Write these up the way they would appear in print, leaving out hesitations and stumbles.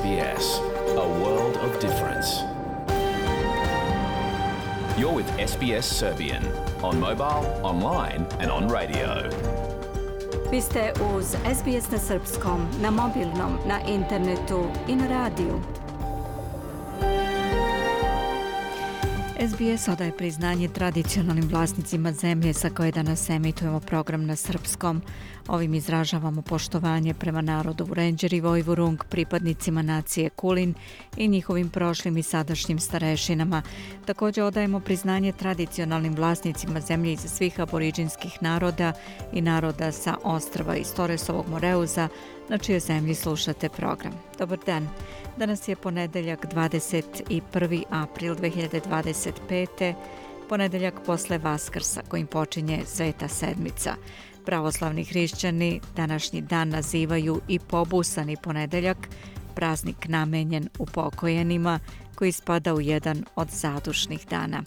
SBS, a world of difference. You're with SBS Serbian on mobile, online and on radio. Vi ste uz SBS na srpskom, na mobilnom, na internetu i na radiju. SBS odaje priznanje tradicionalnim vlasnicima zemlje sa koje danas emitujemo program na srpskom. Ovim izražavamo poštovanje prema narodu Vurenđer i Vojvurung, pripadnicima nacije Kulin i njihovim prošlim i sadašnjim starešinama. Također odajemo priznanje tradicionalnim vlasnicima zemlje iz svih aboriđinskih naroda i naroda sa ostrva iz Toresovog Moreuza, na čijoj zemlji slušate program. Dobar dan. Danas je ponedeljak 21. april 2025. Ponedeljak posle Vaskrsa kojim počinje Sveta sedmica. Pravoslavni hrišćani današnji dan nazivaju i pobusani ponedeljak, praznik namenjen upokojenima koji spada u jedan od zadušnih dana.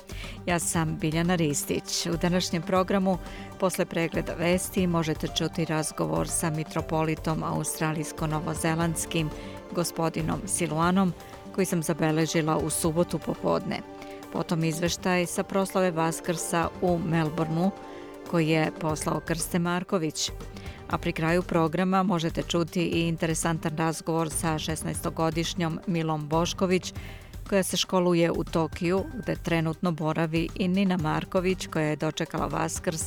Ja sam Biljana Ristić. U današnjem programu posle pregleda vesti možete čuti razgovor sa mitropolitom australijsko-novozelandskim gospodinom Siluanom koji sam zabeležila u subotu popodne. Potom izveštaj sa proslave Vaskrsa u Melbourneu koji je poslao Krste Marković. A pri kraju programa možete čuti i interesantan razgovor sa 16-godišnjom Milom Bošković koja se školuje u Tokiju gde trenutno boravi i Nina Marković koja je dočekala Vaskrs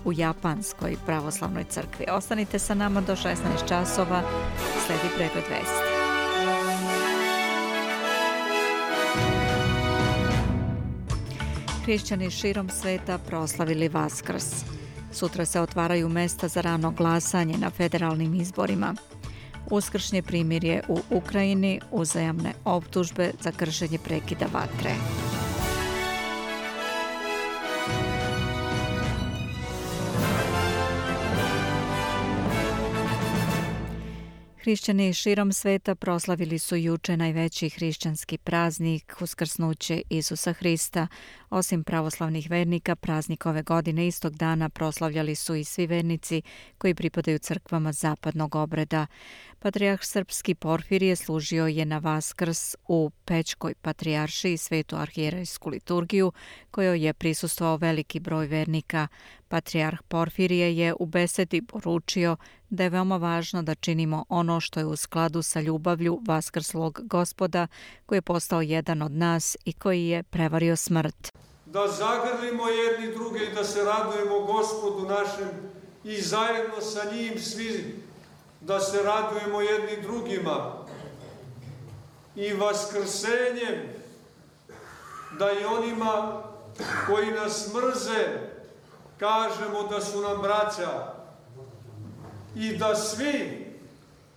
u Japanskoj pravoslavnoj crkvi. Ostanite sa nama do 16 časova, sledi pregled vesti. Hrišćani širom sveta proslavili Vaskrs. Sutra se otvaraju mesta za rano glasanje na federalnim izborima. Uskršnje primirje u Ukrajini, uzajamne optužbe za kršenje prekida vatre. Hrišćani širom sveta proslavili su juče najveći hrišćanski praznik, uskrsnuće Isusa Hrista. Osim pravoslavnih vernika, praznik ove godine istog dana proslavljali su i svi vernici koji pripadaju crkvama zapadnog obreda. Patrijarh srpski Porfirije služio je na Vaskrs u Pećkoj patrijaršiji Svetu arhijerejsku liturgiju, kojoj je prisustvovao veliki broj vernika. Patrijarh Porfirije je u besedi poručio da je veoma važno da činimo ono što je u skladu sa ljubavlju vaskrslog Gospoda koji je postao jedan od nas i koji je prevario smrt. Da zagrlimo jedni druge i da se radujemo Gospodu našem i zajedno sa njim svi da se radujemo jedni drugima i vaskrsenjem da i onima koji nas mrze kažemo da su nam braća i da svi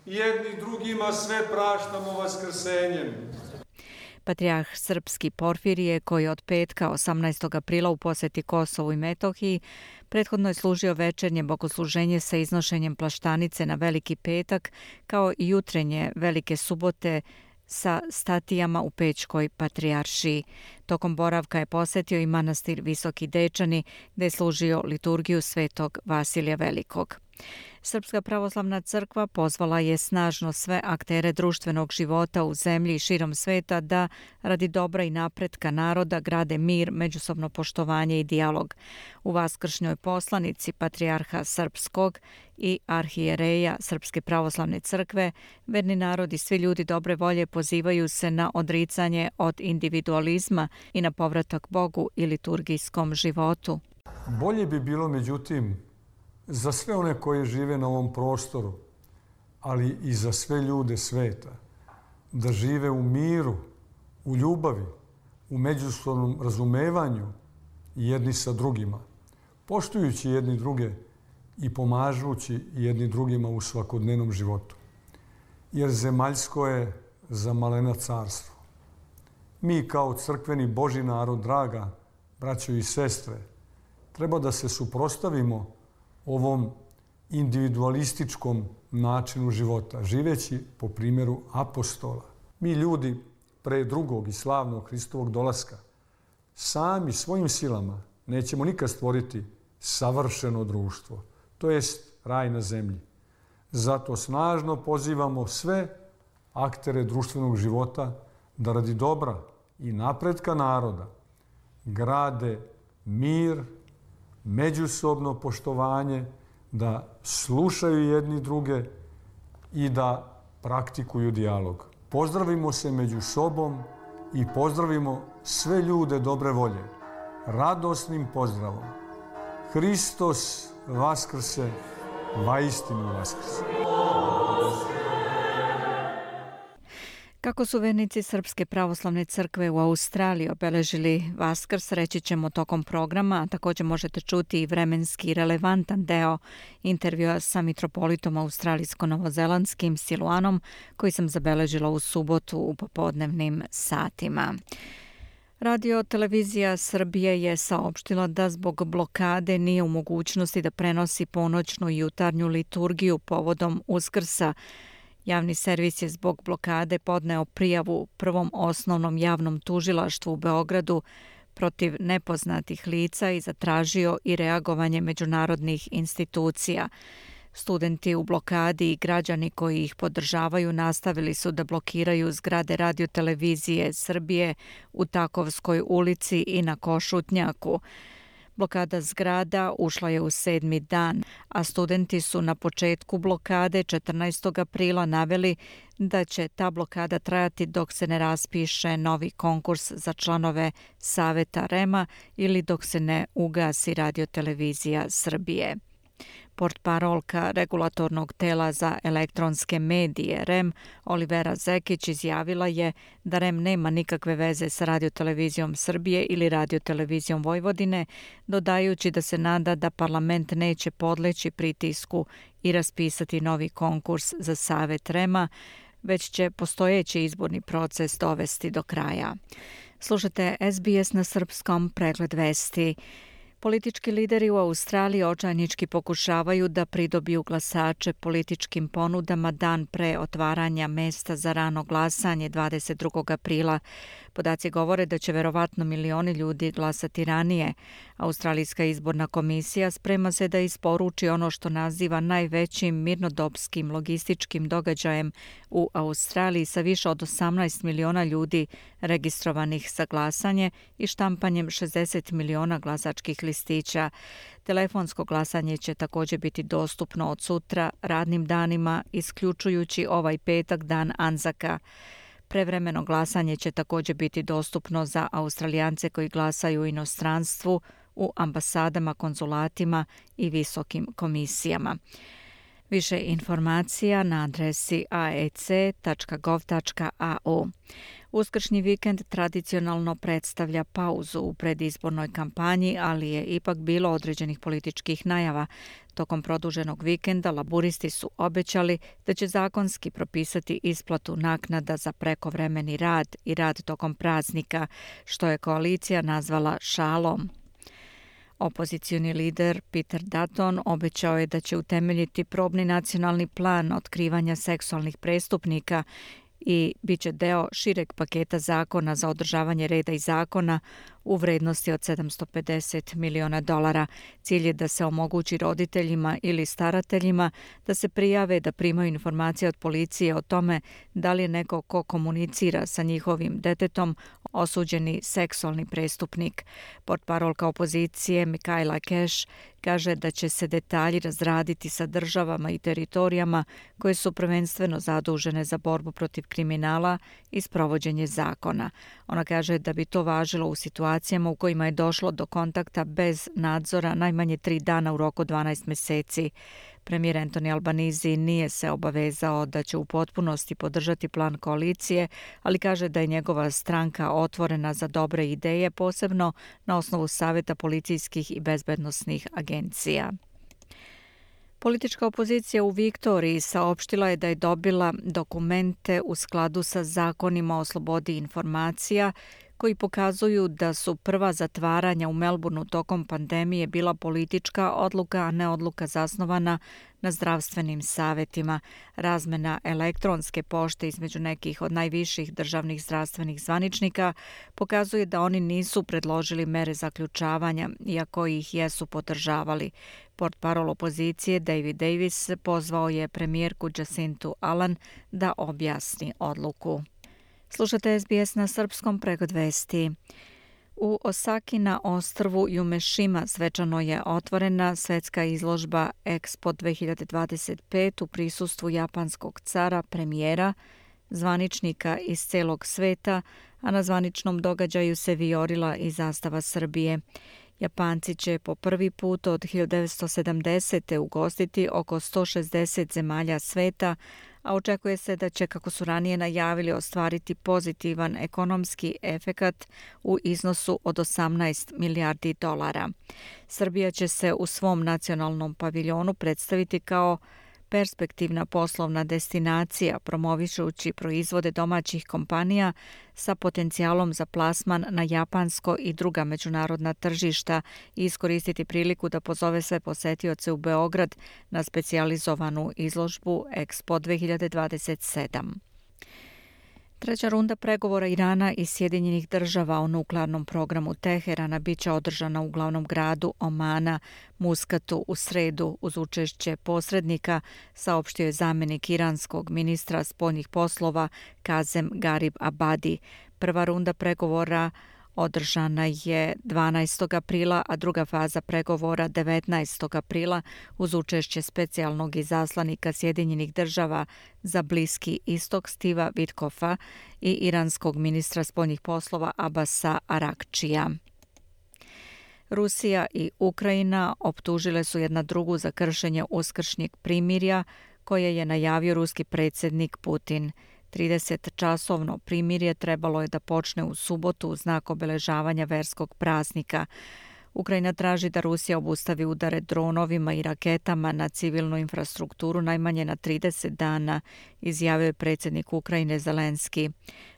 jedni drugima sve praštamo vaskrsenjem. Patrijarh srpski Porfirije, koji od petka 18. aprila u poseti Kosovu i Metohiji, prethodno je služio večernje bogosluženje sa iznošenjem plaštanice na Veliki petak, kao i jutrenje Velike subote sa statijama u Pećkoj patrijaršiji. Tokom boravka je posetio i manastir Visoki Dečani, gde je služio liturgiju Svetog Vasilija Velikog. Srpska pravoslavna crkva pozvala je snažno sve aktere društvenog života u zemlji i širom sveta da, radi dobra i napretka naroda, grade mir, međusobno poštovanje i dijalog. U vaskršnjoj poslanici Patrijarha srpskog i arhijereja Srpske pravoslavne crkve, verni narod i svi ljudi dobre volje pozivaju se na odricanje od individualizma i na povratak Bogu i liturgijskom životu. Bolje bi bilo, međutim, za sve one koji žive na ovom prostoru, ali i za sve ljude sveta, da žive u miru, u ljubavi, u međusobnom razumevanju jedni sa drugima, poštujući jedni druge i pomažući jedni drugima u svakodnevnom životu. Jer zemaljsko je za malena carstvo. Mi kao crkveni Božji narod, draga braćo i sestre, treba da se suprotstavimo ovom individualističkom načinu života, živeći po primjeru apostola. Mi ljudi pre drugog i slavnog Hristovog dolaska sami svojim silama nećemo nikad stvoriti savršeno društvo, to jest raj na zemlji. Zato snažno pozivamo sve aktere društvenog života da radi dobra i napretka naroda grade mir, međusobno poštovanje, da slušaju jedni druge i da praktikuju dijalog. Pozdravimo se među sobom i pozdravimo sve ljude dobre volje radosnim pozdravom. Hristos vaskrse, vaistinu vaskrse. Kako su vernici Srpske pravoslavne crkve u Australiji obeležili Vaskrs, reći ćemo tokom programa, a također možete čuti i vremenski relevantan deo intervjua sa mitropolitom australijsko-novozelandskim Siluanom, koji sam zabeležila u subotu u popodnevnim satima. Radio televizija Srbije je saopštila da zbog blokade nije u mogućnosti da prenosi ponoćnu i jutarnju liturgiju povodom Uskrsa. Javni servis je zbog blokade podneo prijavu Prvom osnovnom javnom tužilaštvu u Beogradu protiv nepoznatih lica i zatražio i reagovanje međunarodnih institucija. Studenti u blokadi i građani koji ih podržavaju nastavili su da blokiraju zgrade radiotelevizije Srbije u Takovskoj ulici i na Košutnjaku. Blokada zgrada ušla je u 7. dan, a studenti su na početku blokade 14. aprila naveli da će ta blokada trajati dok se ne raspiše novi konkurs za članove Saveta REM-a ili dok se ne ugasi radiotelevizija Srbije. Portparolka regulatornog tela za elektronske medije REM Olivera Zekić izjavila je da REM nema nikakve veze sa radiotelevizijom Srbije ili radiotelevizijom Vojvodine, dodajući da se nada da parlament neće podleći pritisku i raspisati novi konkurs za Savet REM-a, već će postojeći izborni proces dovesti do kraja. Slušate SBS na srpskom, pregled vesti. Politički lideri u Australiji očajnički pokušavaju da pridobiju glasače političkim ponudama dan pre otvaranja mesta za rano glasanje 22. aprila. Podaci govore da će verovatno milioni ljudi glasati ranije. Australijska izborna komisija sprema se da isporuči ono što naziva najvećim mirnodopskim logističkim događajem u Australiji sa više od 18 miliona ljudi registrovanih za glasanje i štampanjem 60 miliona glasačkih listića. Telefonsko glasanje će također biti dostupno od sutra radnim danima, isključujući ovaj petak, dan Anzaka. Prevremeno glasanje će također biti dostupno za Australijance koji glasaju u inostranstvu, u ambasadama, konzulatima i visokim komisijama. Više informacija na adresi aec.gov.au. Uskršnji vikend tradicionalno predstavlja pauzu u predizbornoj kampanji, ali je ipak bilo određenih političkih najava. Tokom produženog vikenda laburisti su obećali da će zakonski propisati isplatu naknada za prekovremeni rad i rad tokom praznika, što je koalicija nazvala šalom. Opozicioni lider Peter Dutton obećao je da će utemeljiti probni nacionalni plan otkrivanja seksualnih prestupnika i bit će deo šireg paketa zakona za održavanje reda i zakona u vrednosti od $750 miliona. Cilj je da se omogući roditeljima ili starateljima da se prijave da primaju informacije od policije o tome da li je neko ko komunicira sa njihovim detetom osuđeni seksualni prestupnik. Portparolka opozicije Michaela Cash kaže da će se detalji razraditi sa državama i teritorijama koje su prvenstveno zadužene za borbu protiv kriminala i sprovođenje zakona. Ona kaže da bi to važilo u situacijama u kojima je došlo do kontakta bez nadzora najmanje 3 dana u roku 12 meseci. Premijer Anthony Albanese nije se obavezao da će u potpunosti podržati plan koalicije, ali kaže da je njegova stranka otvorena za dobre ideje, posebno na osnovu savjeta policijskih i bezbednosnih agencija. Politička opozicija u Viktoriji saopštila je da je dobila dokumente u skladu sa zakonima o slobodi informacija koji pokazuju da su prva zatvaranja u Melbourneu tokom pandemije bila politička odluka, a ne odluka zasnovana na zdravstvenim savetima. Razmena elektronske pošte između nekih od najviših državnih zdravstvenih zvaničnika pokazuje da oni nisu predložili mere zaključavanja, iako ih jesu podržavali. Portparol opozicije David Davis pozvao je premijerku Jacintu Ardern da objasni odluku. Slušate SBS na srpskom, pregod vesti. U Osaki na ostrvu Yumeshima svečano je otvorena svetska izložba Expo 2025 u prisustvu japanskog cara, premijera, zvaničnika iz celog sveta, a na zvaničnom događaju se vijorila i zastava Srbije. Japanci će po prvi put od 1970. ugostiti oko 160 zemalja sveta, a očekuje se da će, kako su ranije najavili, ostvariti pozitivan ekonomski efekat u iznosu od 18 milijardi dolara. Srbija će se u svom nacionalnom paviljonu predstaviti kao perspektivna poslovna destinacija, promovišući proizvode domaćih kompanija sa potencijalom za plasman na japansko i druga međunarodna tržišta i iskoristiti priliku da pozove sve posetioce u Beograd na specijalizovanu izložbu Expo 2027. Treća runda pregovora Irana i Sjedinjenih država o nuklearnom programu Teherana biće održana u glavnom gradu Omana, Muskatu, u sredu uz učešće posrednika, saopštio je zamjenik iranskog ministra spoljnih poslova Kazem Garib Abadi. Prva runda pregovora održana je 12. aprila, a druga faza pregovora 19. aprila uz učešće specijalnog izaslanika Sjedinjenih država za Bliski istok Steva Witkoffa i iranskog ministra spoljnih poslova Abasa Arakčija. Rusija i Ukrajina optužile su jedna drugu za kršenje uskršnjeg primirja koje je najavio ruski predsjednik Putin. 30-časovno primirje trebalo je da počne u subotu u znak obeležavanja verskog praznika. Ukrajina traži da Rusija obustavi udare dronovima i raketama na civilnu infrastrukturu najmanje na 30 dana, izjavio je predsjednik Ukrajine Zelenski.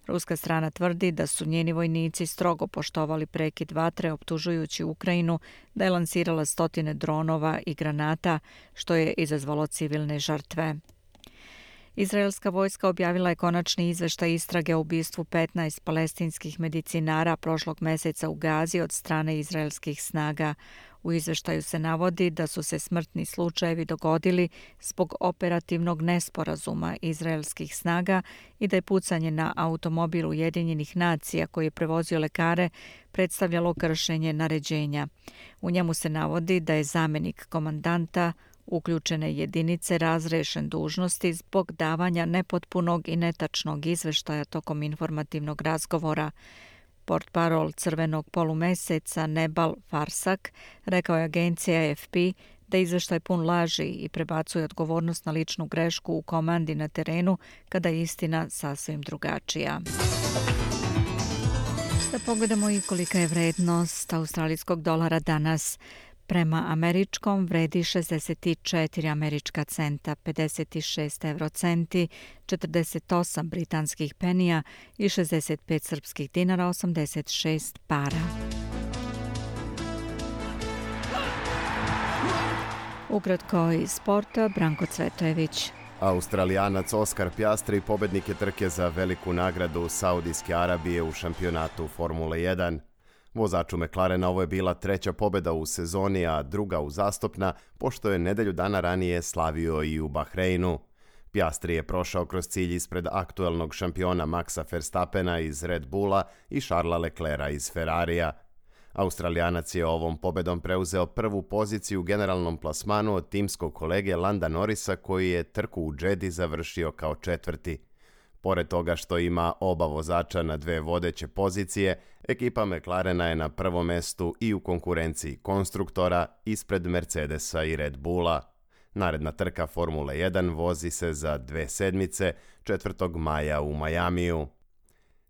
Ruska strana tvrdi da su njeni vojnici strogo poštovali prekid vatre, optužujući Ukrajinu da je lansirala stotine dronova i granata, što je izazvalo civilne žrtve. Izraelska vojska objavila je konačni izveštaj istrage o ubistvu 15 palestinskih medicinara prošlog meseca u Gazi od strane izraelskih snaga. U izveštaju se navodi da su se smrtni slučajevi dogodili zbog operativnog nesporazuma izraelskih snaga i da je pucanje na automobil Ujedinjenih nacija koji je prevozio lekare predstavljalo kršenje naređenja. U njemu se navodi da je zamjenik komandanta uključene jedinice razrešen dužnosti zbog davanja nepotpunog i netačnog izveštaja tokom informativnog razgovora. Portparol Crvenog polumeseca Nebal Farsak rekao je agencija AFP da izveštaj pun laži i prebacuje odgovornost na ličnu grešku u komandi na terenu kada je istina sasvim drugačija. Da pogledamo i kolika je vrednost australijskog dolara danas. Prema američkom vredi 64 američka centa, 56 eurocenti, 48 britanskih penija i 65 srpskih dinara, 86 para. Ukratko iz sporta, Branko Cvetojević. Australijanac Oscar Piastri pobednik je trke za veliku nagradu Saudijske Arabije u šampionatu Formule 1. Vozaču McLarena ovo je bila treća pobjeda u sezoni, a druga uzastopna, pošto je nedelju dana ranije slavio i u Bahreinu. Piastri je prošao kroz cilj ispred aktuelnog šampiona Maxa Verstappena iz Red Bulla i Charlesa Leclerca iz Ferrarija. Australijanac je ovom pobedom preuzeo prvu poziciju u generalnom plasmanu od timskog kolege Landa Norrisa, koji je trku u Jeddi završio kao četvrti. Pored toga što ima oba vozača na dve vodeće pozicije, ekipa McLarena je na prvom mestu i u konkurenciji konstruktora ispred Mercedesa i Red Bulla. Naredna trka Formule 1 vozi se za 2 sedmice, 4. maja u Majamiju.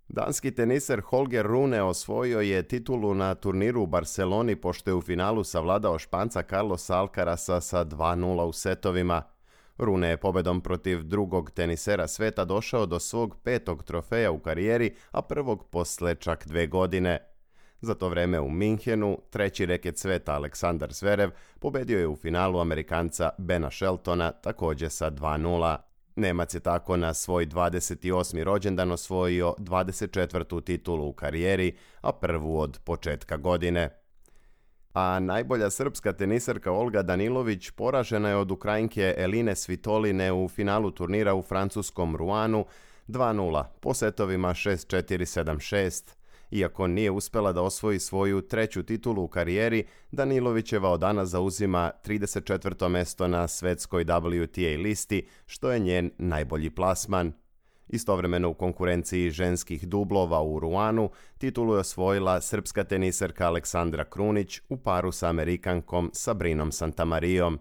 Danski teniser Holger Rune osvojio je titulu na turniru u Barceloni pošto je u finalu savladao Španca Carlosa Alcarasa sa 2:0 u setovima. Rune je pobedom protiv drugog tenisera sveta došao do svog 5. trofeja u karijeri, a prvog posle čak 2 godine. Za to vreme u Minhenu, treći reket sveta Aleksandar Zverev pobedio je u finalu Amerikanca Bena Sheltona također sa 2:0. Nemac je tako na svoj 28. rođendan osvojio 24. titulu u karijeri, a prvu od početka godine. A najbolja srpska tenisarka Olga Danilović poražena je od Ukrajinke Eline Svitoline u finalu turnira u francuskom Rounu 2:0 po setovima 6-4, 7-6. Iako nije uspela da osvoji svoju treću titulu u karijeri, Danilovićeva od danas zauzima 34. mesto na svetskoj WTA listi, što je njen najbolji plasman. Istovremeno u konkurenciji ženskih dublova u Rounu titulu je osvojila srpska tenisarka Aleksandra Krunić u paru sa Amerikankom Sabrinom Santamarijom.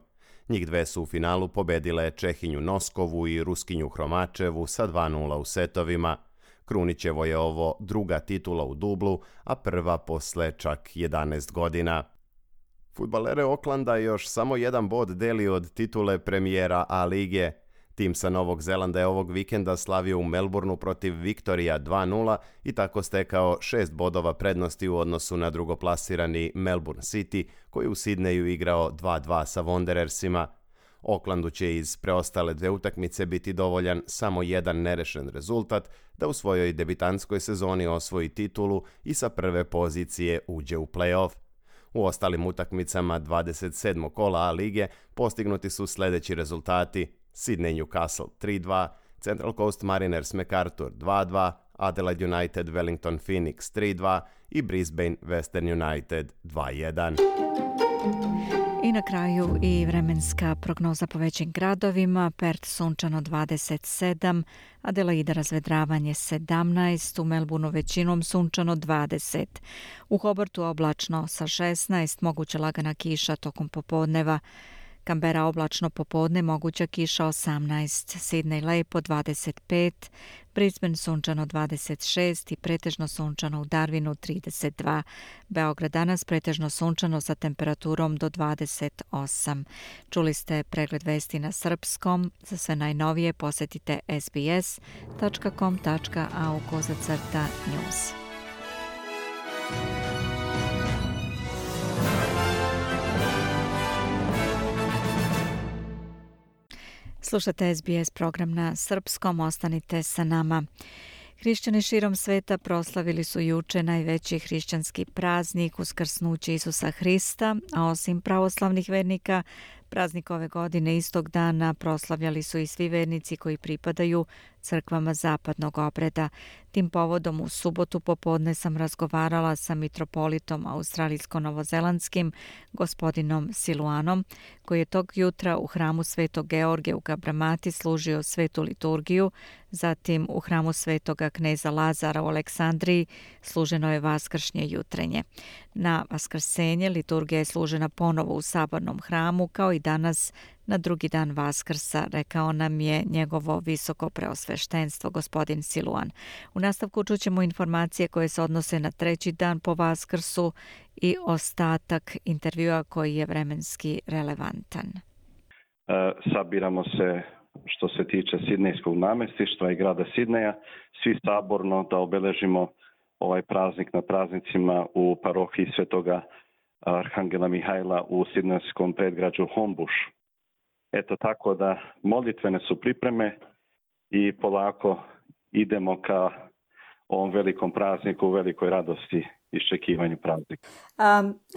Njih dve su u finalu pobedile Čehinju Noskovu i Ruskinju Hromačevu sa 2:0 u setovima. Krunićevo je ovo druga titula u dublu, a prva posle čak 11 godina. Fudbalere Oklanda još samo jedan bod deli od titule premijera A lige. Tim sa Novog Zelanda je ovog vikenda slavio u Melbourneu protiv Viktorija 2:0 i tako stekao 6 bodova prednosti u odnosu na drugoplasirani Melbourne City, koji u Sidneju igrao 2:2 sa Wanderersima. Oaklandu će iz preostale 2 utakmice biti dovoljan samo jedan nerešen rezultat da u svojoj debitanskoj sezoni osvoji titulu i sa prve pozicije uđe u play-off. U ostalim utakmicama 27. kola A lige postignuti su sljedeći rezultati: Sydney Newcastle 3:2, Central Coast Mariners MacArthur 2:2, Adelaide United Wellington Phoenix 3:2 i Brisbane Western United 2:1. I na kraju i vremenska prognoza po većim gradovima. Perth sunčano 27, Adelaida razvedravanje 17, u Melbourneu većinom sunčano 20, u Hobartu oblačno sa 16, moguća lagana kiša tokom popodneva, Canberra oblačno popodne, moguća kiša 18, Sydney lepo 25, Brisbane sunčano 26 i pretežno sunčano u Darwinu 32, Beograd danas pretežno sunčano sa temperaturom do 28. Čuli ste pregled vesti na srpskom. Za sve najnovije posetite sbs.com.au/news. Slušate SBS program na srpskom, ostanite sa nama. Hrišćani širom sveta proslavili su juče najveći hrišćanski praznik, uskrsnuće Isusa Hrista, a osim pravoslavnih vernika, praznik ove godine istog dana proslavljali su i svi vernici koji pripadaju crkvama zapadnog obreda. Tim povodom u subotu popodne sam razgovarala sa mitropolitom australijsko-novozelandskim gospodinom Siluanom, koji je tog jutra u hramu Svetog Georgija u Kabramati služio svetu liturgiju, zatim u hramu Svetoga kneza Lazara u Aleksandriji služeno je vaskršnje jutrenje. Na vaskrsenje liturgija je služena ponovo u sabornom hramu, kao i danas na drugi dan Vaskrsa, rekao nam je njegovo visoko preosveštenstvo gospodin Siluan. U nastavku čućemo informacije koje se odnose na treći dan po Vaskrsu i ostatak intervjua koji je vremenski relevantan. Sabiramo se što se tiče sidnejskog namestištva i grada Sidneja, svi saborno da obeležimo ovaj praznik na praznicima u parohiji Svetoga Arhangela Mihajla u sidnejskom predgrađu Homebush. Eto tako da molitvene su pripreme i polako idemo ka ovom velikom prazniku, velikoj radosti, iščekivanju praznika.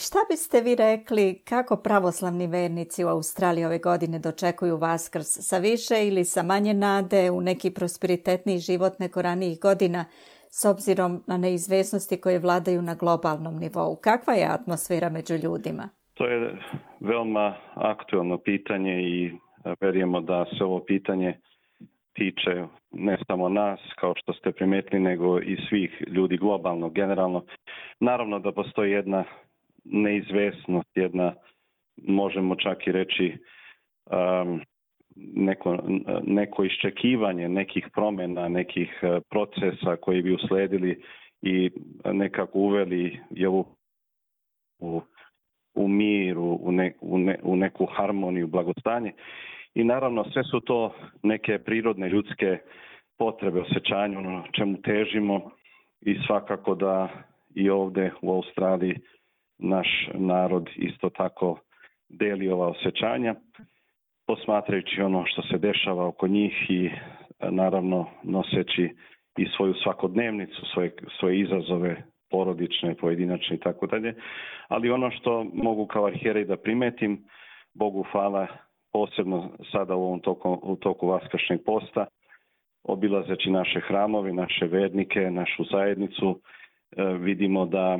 Šta biste vi rekli kako pravoslavni vernici u Australiji ove godine dočekuju Vaskrs? Sa više ili sa manje nade u neki prosperitetniji život nego ranijih godina s obzirom na neizvesnosti koje vladaju na globalnom nivou? Kakva je atmosfera među ljudima? To je veoma aktuelno pitanje i verujemo da se ovo pitanje tiče ne samo nas, kao što ste primetili, nego i svih ljudi globalno, generalno. Naravno da postoji jedna neizvesnost, možemo čak i reći, neko iščekivanje nekih promjena, nekih procesa koji bi usledili i nekako uveli u mir, u neku harmoniju, blagostanje. I naravno sve su to neke prirodne ljudske potrebe, osjećanja, ono čemu težimo i svakako da i ovdje u Australiji naš narod isto tako deli ova osjećanja, posmatrajući ono što se dešava oko njih i naravno noseći i svoju svakodnevnicu, svoje izazove porodične, pojedinačne i tako dalje. Ali ono što mogu kao arhijerej da primetim, Bogu hvala, posebno sada u toku Vaskršnjeg posta, obilazeći naše hramove, naše vernike, našu zajednicu, vidimo da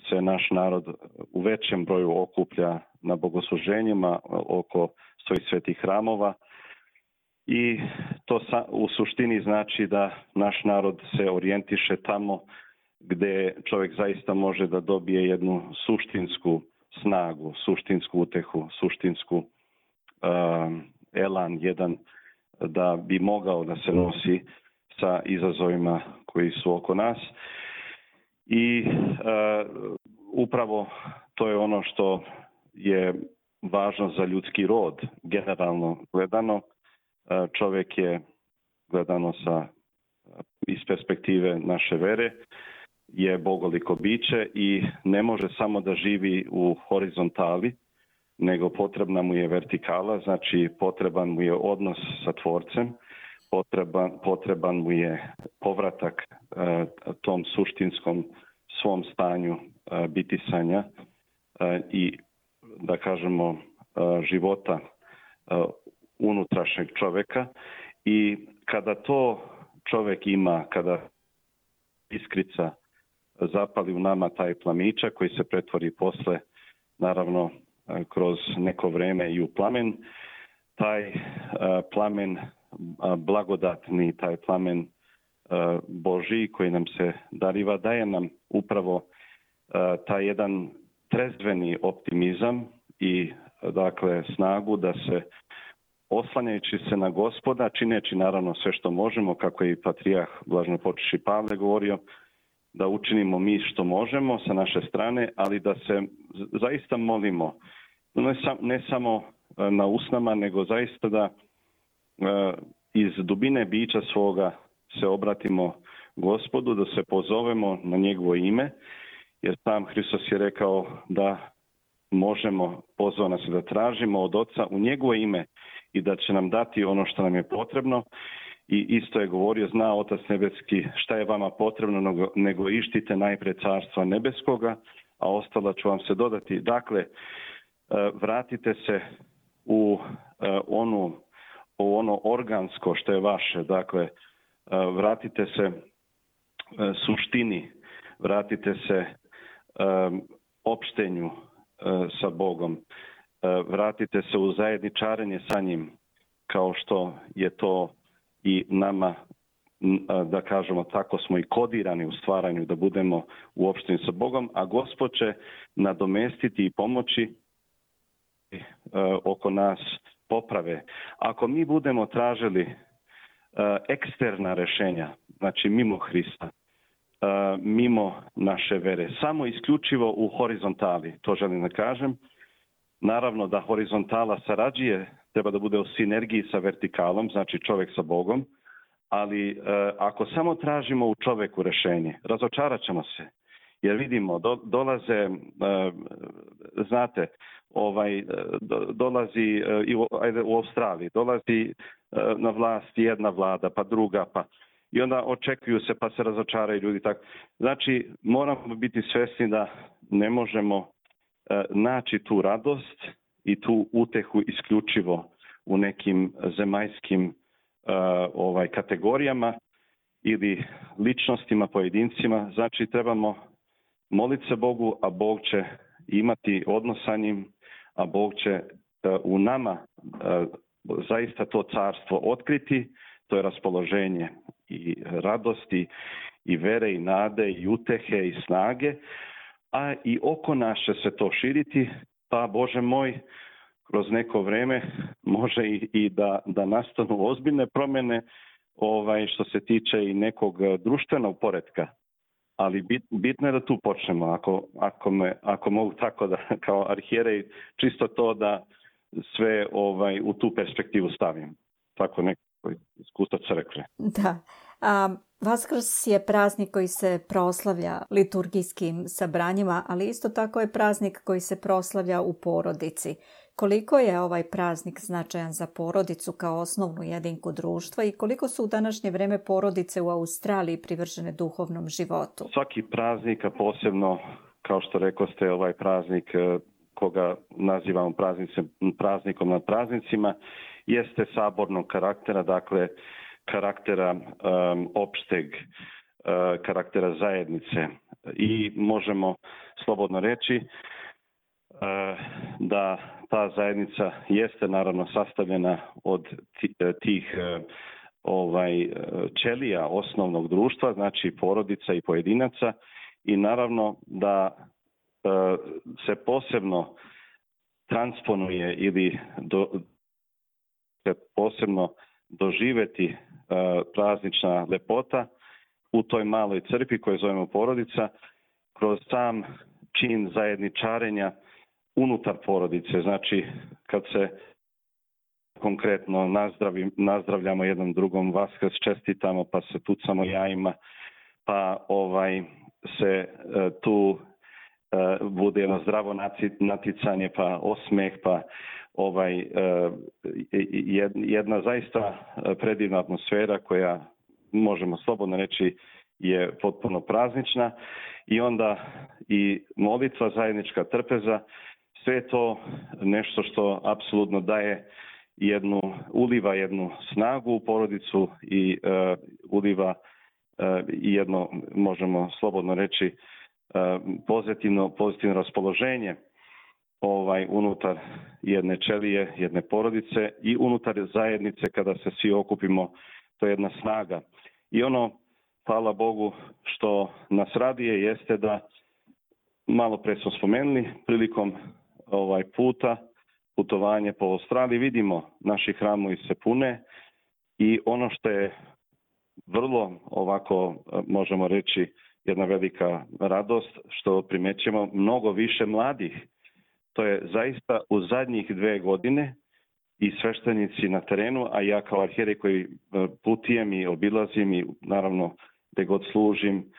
se naš narod u većem broju okuplja na bogosluženjima oko svojih svetih hramova i to u suštini znači da naš narod se orijentiše tamo gdje čovjek zaista može da dobije jednu suštinsku snagu, suštinsku utehu, suštinsku elan jedan da bi mogao da se nosi sa izazovima koji su oko nas. I upravo to je ono što je važno za ljudski rod. Generalno gledano, čovjek je gledano iz perspektive naše vere, je bogoliko biće i ne može samo da živi u horizontali, nego potrebna mu je vertikala, znači potreban mu je odnos sa Tvorcem, potreban mu je povratak tom suštinskom svom stanju bitisanja i da kažemo života unutrašnjeg čovjeka. I kada to čovjek ima, kada iskrica zapali u nama taj plamičak koji se pretvori posle, naravno kroz neko vrijeme i u plamen, taj plamen blagodatni, taj plamen Božji koji nam se dariva, daje nam upravo taj jedan trezveni optimizam i dakle snagu da se oslanjajući se na Gospoda, čineći naravno sve što možemo, kako je i patrijarh blaženopočivši Pavle govorio, da učinimo mi što možemo sa naše strane, ali da se zaista molimo, ne samo na usnama, nego zaista da iz dubine bića svoga se obratimo Gospodu, da se pozovemo na njegovo ime, jer sam Hristos je rekao da možemo, pozvao nas da tražimo od Oca u njegovo ime i da će nam dati ono što nam je potrebno. I isto je govorio, zna Otac nebeski šta je vama potrebno, nego ištite najprije carstva nebeskoga, a ostalo ću vam se dodati. Dakle, vratite se u ono organsko što je vaše, dakle, vratite se suštini, vratite se opštenju sa Bogom, vratite se u zajedničarenje sa njim, kao što je to i nama, da kažemo tako, smo i kodirani u stvaranju da budemo u opštenju sa Bogom, a Gospod će nadomestiti i pomoći oko nas poprave. Ako mi budemo tražili eksterna rješenja, znači mimo Hrista, mimo naše vere, samo isključivo u horizontali, to želim da kažem. Naravno da horizontala sarađuje, treba da bude u sinergiji sa vertikalom, znači čovjek sa Bogom, ali ako samo tražimo u čovjeku rješenje, razočarat ćemo se. Jer vidimo, dolaze, znate, dolazi u Australiji, dolazi na vlast jedna vlada, pa druga, pa i onda očekuju se pa se razočaraju ljudi. Tako. Znači, moramo biti svjesni da ne možemo naći tu radost i tu utehu isključivo u nekim zemaljskim kategorijama ili ličnostima, pojedincima. Znači, trebamo moliti se Bogu, a Bog će imati odnos sa njim, a Bog će u nama zaista to carstvo otkriti, to je raspoloženje i radosti i vere i nade i utehe i snage, a i oko nas će se to širiti, pa Bože moj, kroz neko vrijeme može i da nastanu ozbiljne promjene što se tiče i nekog društvenog poretka. Ali bitno je da tu počnemo, ako mogu tako da kao arhijerej, čisto to da sve u tu perspektivu stavim. Tako nekako iskustvo crkve. Da. Vaskrs je praznik koji se proslavlja liturgijskim sabranjima, ali isto tako je praznik koji se proslavlja u porodici. Koliko je ovaj praznik značajan za porodicu kao osnovnu jedinku društva i koliko su u današnje vreme porodice u Australiji privržene duhovnom životu? Svaki praznik, a posebno, kao što rekoste, ovaj praznik koga nazivamo praznikom nad praznicima, jeste sabornog karaktera, dakle karaktera opšteg, karaktera zajednice. I možemo slobodno reći da ta zajednica jeste naravno sastavljena od tih ćelija osnovnog društva, znači porodica i pojedinaca, i naravno da se posebno transponuje ili se posebno doživeti praznična lepota u toj maloj crkvi koju zovemo porodica kroz sam čin zajedničarenja unutar porodice. Znači, kad se konkretno nazdravljamo jednom drugom, Vaskrs čestitamo, pa se tucamo jajima, pa se tu bude jedno zdravo naticanje, pa osmeh, pa jedna zaista predivna atmosfera koja, možemo slobodno reći, je potpuno praznična. I onda i molitva, zajednička trpeza, sve to nešto što apsolutno uliva jednu snagu u porodicu i uliva jedno, možemo slobodno reći, pozitivno raspoloženje unutar jedne ćelije, jedne porodice i unutar zajednice kada se svi okupimo, to je jedna snaga. I ono, hvala Bogu, što nas raduje jeste da, malo pre smo spomenuli, prilikom putovanje po Australiji, vidimo naši hramovi se pune i ono što je vrlo ovako, možemo reći, jedna velika radost, što primećujemo mnogo više mladih. To je zaista u zadnjih 2 godine i sveštenici na terenu, a ja kao arhijerej koji putujem i obilazim i naravno gde god služim,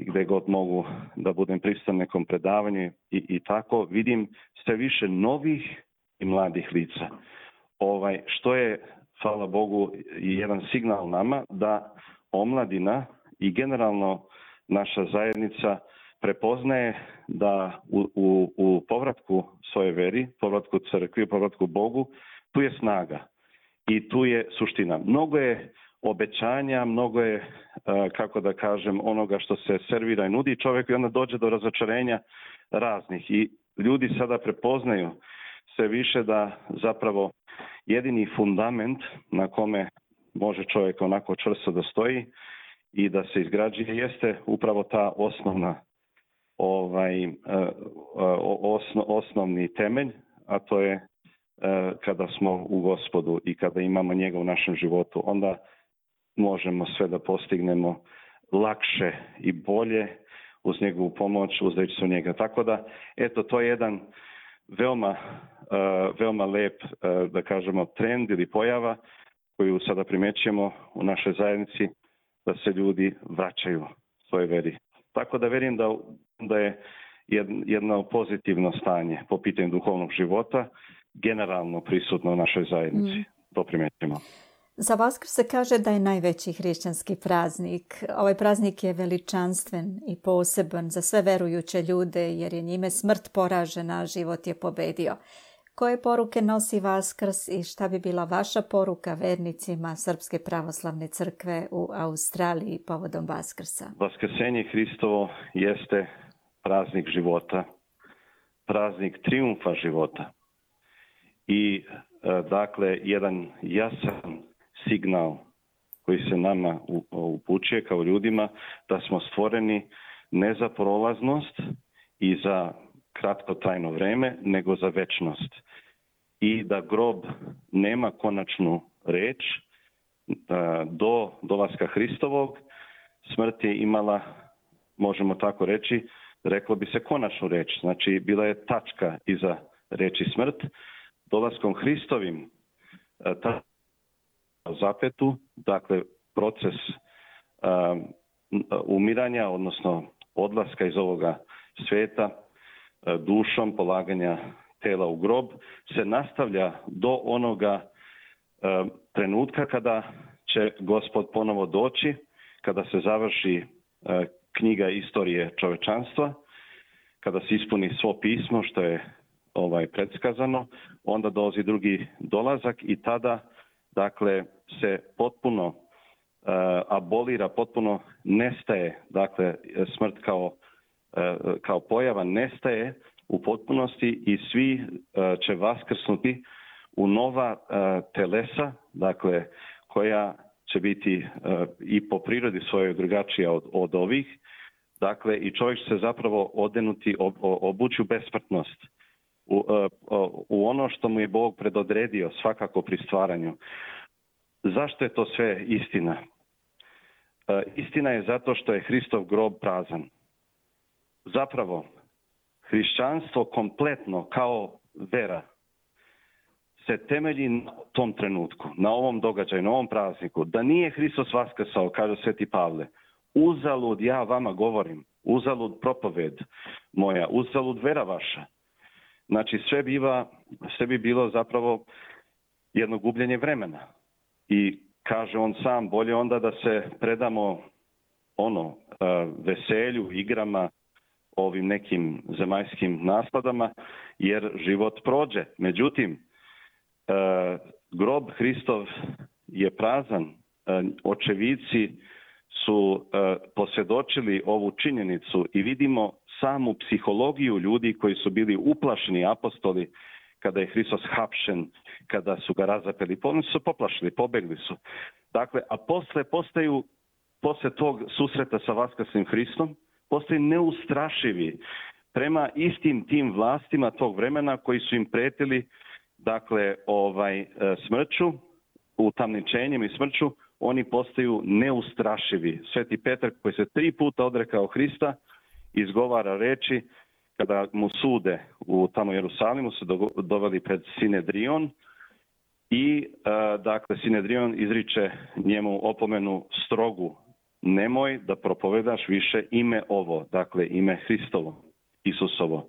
gde god mogu da budem prisutan nekom predavanju i tako, vidim sve više novih i mladih lica. Što je, hvala Bogu, jedan signal nama da omladina i generalno naša zajednica prepoznaje da u povratku svoje veri, povratku crkvi, povratku Bogu, tu je snaga i tu je suština. Mnogo je obećanja, mnogo je, kako da kažem, onoga što se servira i nudi čovjeku i onda dođe do razočarenja raznih. I ljudi sada prepoznaju sve više da zapravo jedini fundament na kome može čovjek onako čvrsto da stoji i da se izgrađuje jeste upravo ta osnovna osnovni temelj, a to je kada smo u Gospodu i kada imamo njega u našem životu, onda možemo sve da postignemo lakše i bolje uz njegovu pomoć, uzdajući se u njega. Tako da, eto, to je jedan veoma lep, da kažemo, trend ili pojava koju sada primećujemo u našoj zajednici, da se ljudi vraćaju svojoj veri. Tako da verujem da je jedno pozitivno stanje po pitanju duhovnog života generalno prisutno u našoj zajednici. To primećujemo. Za Vaskrs se kaže da je najveći hrišćanski praznik. Ovaj praznik je veličanstven i poseban za sve verujuće ljude jer je njime smrt poražena, a život je pobedio. Koje poruke nosi Vaskrs i šta bi bila vaša poruka vernicima Srpske pravoslavne crkve u Australiji povodom Vaskrsa? Vaskrsenje Hristovo jeste praznik života, praznik trijumfa života i dakle jedan jasan signal koji se nama upućuje kao ljudima da smo stvoreni ne za prolaznost i za kratkotrajno vreme, nego za večnost. I da grob nema konačnu reč do dolaska Hristovog. Smrt je imala, možemo tako reći, reklo bi se konačnu reč. Znači, bila je tačka iza reči smrt, dolaskom Hristovim zapetu, dakle proces umiranja, odnosno odlaska iz ovoga svijeta, dušom, polaganja tela u grob, se nastavlja do onoga trenutka kada će Gospod ponovo doći, kada se završi knjiga istorije čovečanstva, kada se ispuni svo pismo što je predskazano, onda dolazi drugi dolazak i tada dakle se potpuno abolira, potpuno nestaje, dakle smrt kao pojava nestaje u potpunosti i svi će vaskrsnuti u nova telesa, dakle koja će biti i po prirodi svojoj drugačija od ovih. Dakle, i čovjek će se zapravo odenuti, obući u besmrtnost, u ono što mu je Bog predodredio svakako pri stvaranju. Zašto je to sve istina? Istina je zato što je Hristov grob prazan. Zapravo, hrišćanstvo kompletno kao vera se temelji na tom trenutku, na ovom događaju, na ovom prazniku. Da nije Hristos vaskrsao, kaže Sveti Pavle, uzalud ja vama govorim, uzalud propoved moja, uzalud vera vaša. Znači sve bi bilo zapravo jedno gubljenje vremena. I kaže on sam, bolje onda da se predamo veselju, igrama, ovim nekim zemaljskim nasladama, jer život prođe. Međutim, grob Hristov je prazan. Očevici su posvjedočili ovu činjenicu i vidimo samu psihologiju ljudi koji su bili uplašeni apostoli kada je Hristos hapšen, kada su ga razapeli. Oni su poplašili, pobegli su. Dakle, a posle tog susreta sa vaskrslim Hristom, postaju neustrašivi prema istim tim vlastima tog vremena koji su im pretili, dakle, smrću, utamničenjem i smrću, oni postaju neustrašivi. Sveti Petar, koji se 3 puta odrekao Hrista, izgovara reči kada mu sude u tamo Jerusalimu, su doveli pred Sinedrion i dakle Sinedrion izriče njemu opomenu strogu: nemoj da propovedaš više ime ovo, dakle ime Hristovo, Isusovo.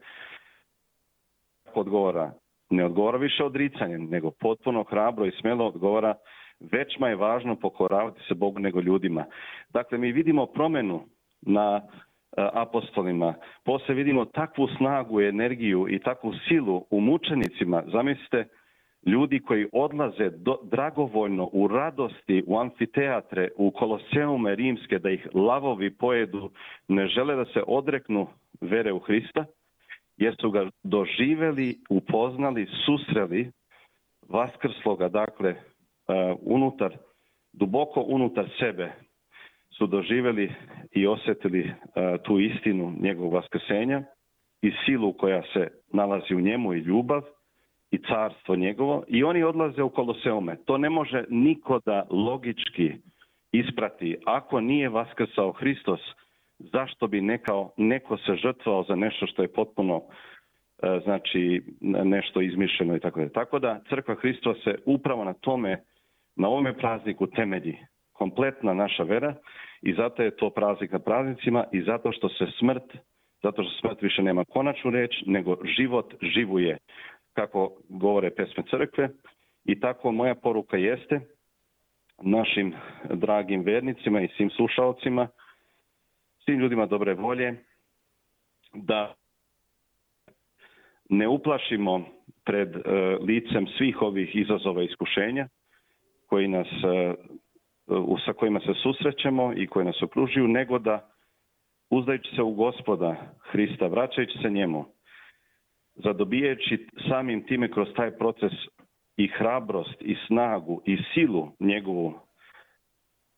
Ne odgovara više odricanjem, nego potpuno hrabro i smjelo odgovara: većma je važno pokoravati se Bogu nego ljudima. Dakle, mi vidimo promjenu na apostolima, poslije vidimo takvu snagu i energiju i takvu silu u mučenicima. Zamislite, ljudi koji odlaze dragovoljno u radosti u amfiteatre, u koloseume rimske, da ih lavovi pojedu, ne žele da se odreknu vere u Hrista, jer su ga doživjeli, upoznali, susreli vaskrsloga, dakle, duboko unutar sebe su doživjeli i osjetili tu istinu njegovog vaskrsenja i silu koja se nalazi u njemu i ljubav i carstvo njegovo, i oni odlaze u koloseume. To ne može niko da logički isprati. Ako nije vaskrsao Hristos, zašto bi neko se žrtvovao za nešto što je potpuno nešto izmišljeno i tako da. Tako da Crkva Hristova se upravo na tome, na ovome prazniku temelji kompletna naša vera, i zato je to praznik na praznicima, i zato što smrt više nema konačnu riječ, nego život živuje, kako govore pesme crkve. I tako moja poruka jeste našim dragim vernicima i svim slušalcima, svim ljudima dobre volje, da ne uplašimo pred licem svih ovih izazova i iskušenja sa kojima se susrećemo i koji nas okružuju, nego da, uzdajući se u Gospoda Hrista, vraćajući se njemu, zadobijajući samim time kroz taj proces i hrabrost i snagu i silu njegovu,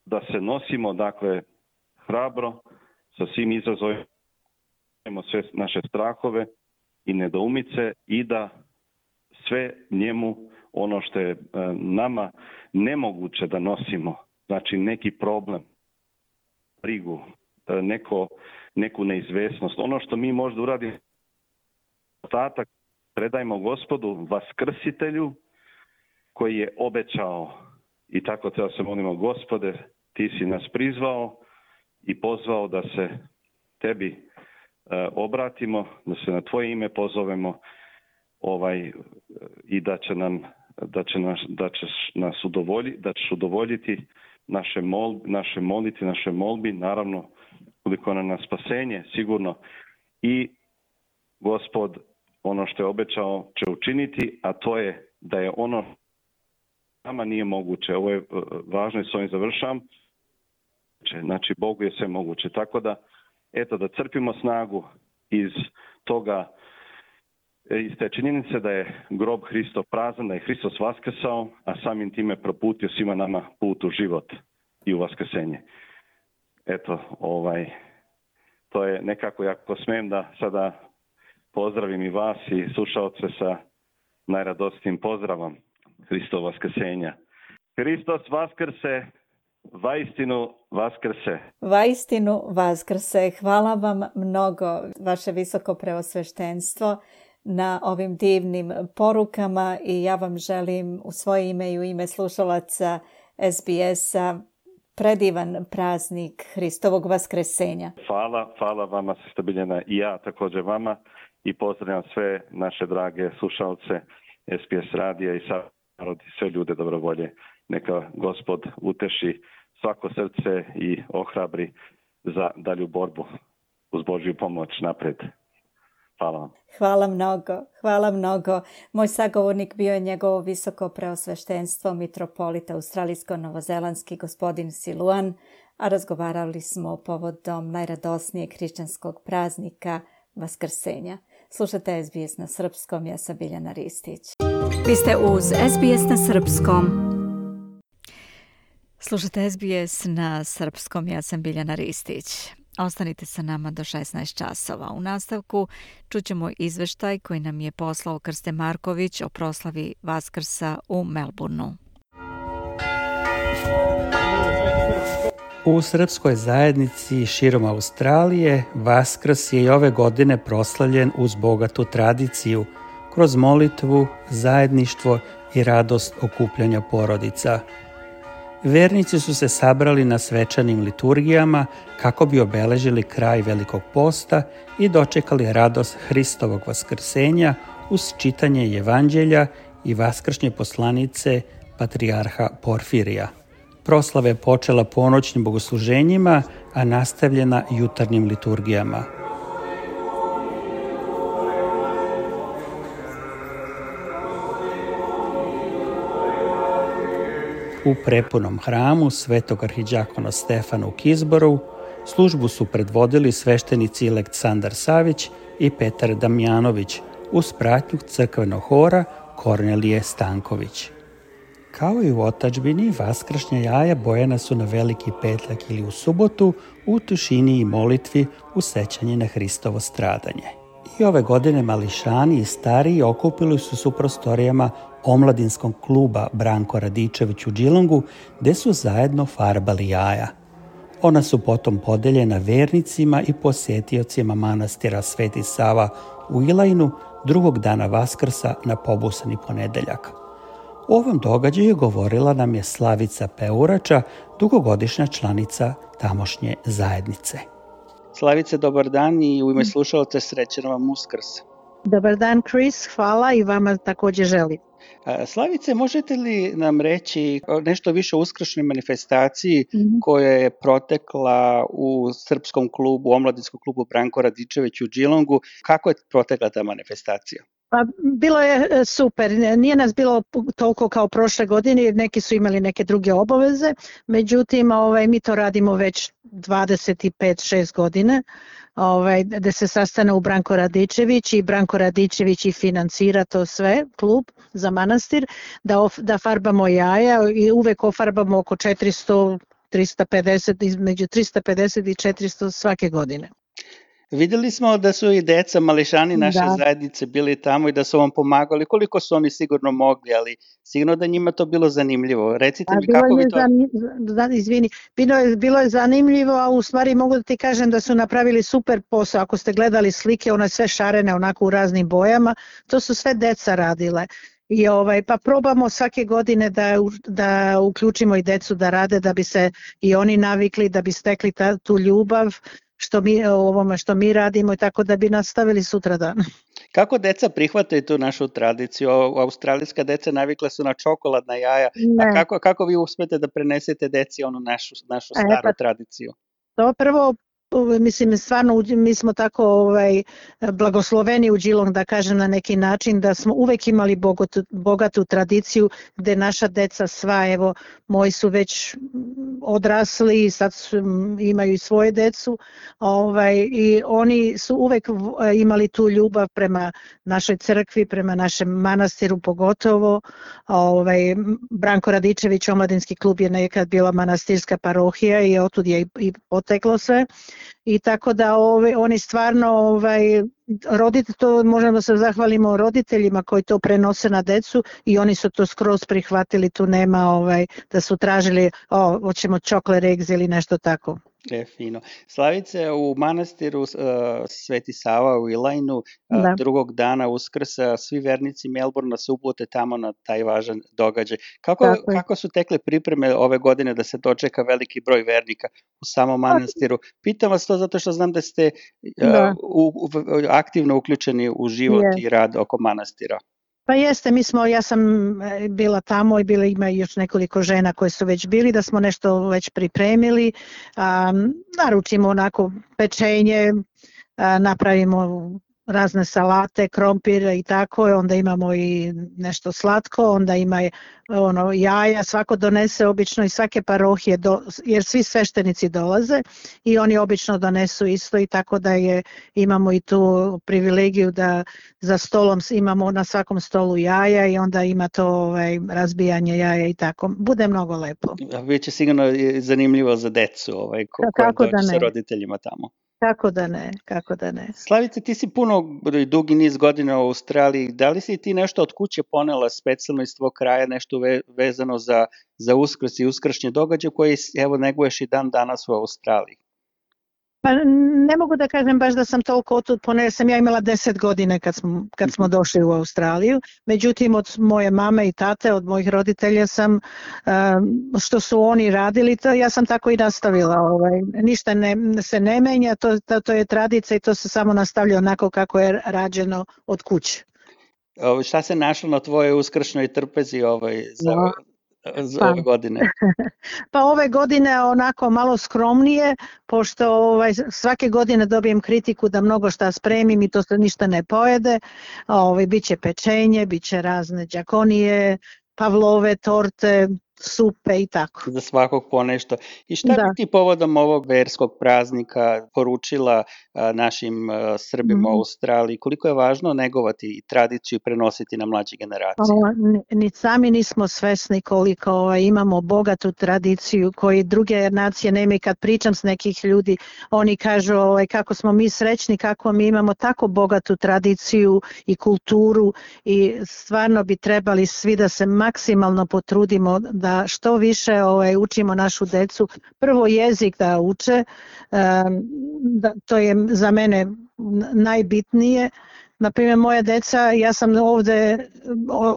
da se nosimo, dakle, hrabro sa svim izazovima, sve naše strahove i nedoumice, i da sve njemu, ono što je nama nemoguće da nosimo, znači neki problem, brigu, neku neizvesnost, ono što mi možda uradimo ostatak predajmo Gospodu Vaskrsitelju koji je obećao, i tako treba se molimo, Gospode, ti si nas prizvao i pozvao da se tebi obratimo, da se na tvoje ime pozovemo i da ćeš udovoljiti naše molitve, naše molbi, naravno koliko na spasenje sigurno, i Gospod ono što je obećao će učiniti, a to je da je ono nama nije moguće. Ovo je važno i s ovim završavam. Znači, Bogu je sve moguće. Tako da, eto, da crpimo snagu iz te činjenice da je grob Hristov prazan, da je Hristos vaskrsao, a samim time proputio svima nama put u život i u vaskrsenje. Eto, to je nekako, jako smijem da sada pozdravim i vas i slušalce sa najradosnijim pozdravom Hristov vaskrsenja. Hristos vaskrse, vaistinu vaskrse. Vaistinu vaskrse. Hvala vam mnogo, vaše visoko preosveštenstvo, na ovim divnim porukama i ja vam želim u svoje ime i u ime slušalaca SBS-a predivan praznik Hristovog vaskresenja. Hvala vama, sestra Biljana, i ja također vama, i pozdravljam sve naše drage slušalce SBS radija i narod i sve ljude dobrovolje. Neka Gospod uteši svako srce i ohrabri za dalju borbu uz Božju pomoć napred. Hvala vam. Hvala mnogo. Moj sagovornik bio je njegovo visoko preosveštenstvo mitropolita australijsko-novozelandski gospodin Siluan, a razgovarali smo povodom najradosnijeg hrišćanskog praznika Vaskrsenja. Slušate SBS na srpskom, ja sam Biljana Ristić. Vi ste uz SBS na srpskom. Slušate SBS na srpskom, ja sam Biljana Ristić. Ostanite sa nama do 16 časova. U nastavku čućemo izveštaj koji nam je poslao Krste Marković o proslavi Vaskrsa u Melbourneu. U srpskoj zajednici širom Australije Vaskrs je i ove godine proslavljen uz bogatu tradiciju, kroz molitvu, zajedništvo i radost okupljanja porodica. Vernici su se sabrali na svečanim liturgijama kako bi obeležili kraj Velikog posta i dočekali radost Hristovog vaskrsenja uz čitanje Evanđelja i vaskršnje poslanice patrijarha Porfirija. Proslava je počela ponoćnim bogosluženjima, a nastavljena jutarnjim liturgijama. U prepunom hramu Svetog arhidžakona Stefana u Kisboru službu su predvodili sveštenici Aleksandar Savić i Petar Damjanović uz pratnju crkvenog hora Kornelije Stanković. Kao i u otadžbini, vaskršnja jaja bojana su na Veliki petak ili u subotu u tišini i molitvi u sećanje na Hristovo stradanje. I ove godine mališani i stariji okupili su se u prostorijama omladinskog kluba Branko Radičević u Geelongu, gde su zajedno farbali jaja. Ona su potom podeljena vernicima i posjetiocima manastira Sveti Sava u Ilajnu drugog dana Vaskrsa na pobusani ponedeljak. U ovom događaju govorila nam je Slavica Peurača, dugogodišnja članica tamošnje zajednice. Slavice, dobar dan i u ime slušalaca srećan vam Uskrs. Dobar dan, Chris, hvala i vama također želim. Slavice, možete li nam reći nešto više o uskršnjoj manifestaciji koja je protekla u srpskom klubu, omladinskom klubu Branko Radičević u Geelongu? Kako je protekla ta manifestacija? Pa, bilo je super, nije nas bilo toliko kao prošle godine jer neki su imali neke druge obaveze, međutim mi to radimo već 25-6 godina, da se sastane u Branko Radičević i Branko Radičević i financira to sve, klub za manastir, da farbamo jaja i uvek ofarbamo oko 400, 350, između 350 i 400 svake godine. Vidjeli smo da su i deca, mališani naše zajednice bili tamo i da su vam pomagali. Koliko su oni sigurno mogli, ali sigurno da njima to bilo zanimljivo. Recite mi kako vi to... Izvini, bilo je zanimljivo, a u stvari mogu da ti kažem da su napravili super posao. Ako ste gledali slike, one sve šarene onako u raznim bojama, to su sve deca radile. I pa probamo svake godine da uključimo i decu da rade, da bi se i oni navikli, da bi stekli tu ljubav što mi radimo i tako da bi nastavili sutradan. Kako deca prihvataju tu našu tradiciju? Australijska deca navikla su na čokoladna jaja, a kako vi uspete da prenesete deci onu našu staru tradiciju? To prvo, mislim, stvarno mi smo tako blagosloveni u Geelong, da kažem na neki način, da smo uvek imali bogatu tradiciju gde naša deca sva, evo, moji su već odrasli, sad imaju i svoje decu, i oni su uvek imali tu ljubav prema našoj crkvi, prema našem manastiru pogotovo. Branko Radičević, omladinski klub, je nekad bila manastirska parohija i otud je i poteklo sve. I tako da oni stvarno to možemo da se zahvalimo roditeljima koji to prenose na decu i oni su to skroz prihvatili, tu nema da su tražili hoćemo chocolate eggs ili nešto tako. Fino. Slavice, u manastiru Sveti Sava u Ilajnu drugog dana Uskrsa svi vernici Melbourna se uplute tamo na taj važan događaj. Kako su tekle pripreme ove godine da se dočeka veliki broj vernika u samom manastiru? Pitam vas to zato što znam da ste aktivno uključeni u život i rad oko manastira. Pa jeste, ja sam bila tamo i ima još nekoliko žena koje su već bili, da smo nešto već pripremili, naručimo onako pečenje, napravimo razne salate, krompir i tako, onda imamo i nešto slatko, onda ima jaja, svako donese obično iz svake parohije, jer svi sveštenici dolaze i oni obično donesu isto i tako da imamo i tu privilegiju da za stolom imamo na svakom stolu jaja i onda ima to razbijanje jaja i tako. Bude mnogo lepo. Biće sigurno zanimljivo za decu koja dođe sa roditeljima tamo. Kako da ne. Slavice, ti si dugi niz godina u Australiji. Da li si ti nešto od kuće ponela specijalno iz tvog kraja, nešto vezano za Uskrs i uskršnje događaje koje neguješ i dan danas u Australiji? Pa ne mogu da kažem baš da sam toliko otud ponela, sam ja imala 10 godina kad smo došli u Australiju, međutim od moje mame i tate, od mojih roditelja sam, što su oni radili, to ja sam tako i nastavila, ništa se ne menja, to je tradicija i to se samo nastavlja onako kako je rađeno od kuće. Šta se našlo na tvojoj uskršnjoj trpezi za ove godine? Pa ove godine onako malo skromnije, pošto svake godine dobijem kritiku da mnogo šta spremim i to se ništa ne pojede. Biće pečenje, biće razne đakonije, pavlove, torte, supe i tako. Za svakog po nešto. I šta bi ti povodom ovog verskog praznika poručila našim Srbima u Australiji? Koliko je važno negovati tradiciju i prenositi na mlađe generacije? Ni sami nismo svesni koliko imamo bogatu tradiciju koju druge nacije nemaju. Kad pričam s nekih ljudi, oni kažu kako smo mi srećni, kako mi imamo tako bogatu tradiciju i kulturu i stvarno bi trebali svi da se maksimalno potrudimo da što više učimo našu decu. Prvo jezik da uče, to je za mene najbitnije. Naprimjer, moja deca, ja sam ovde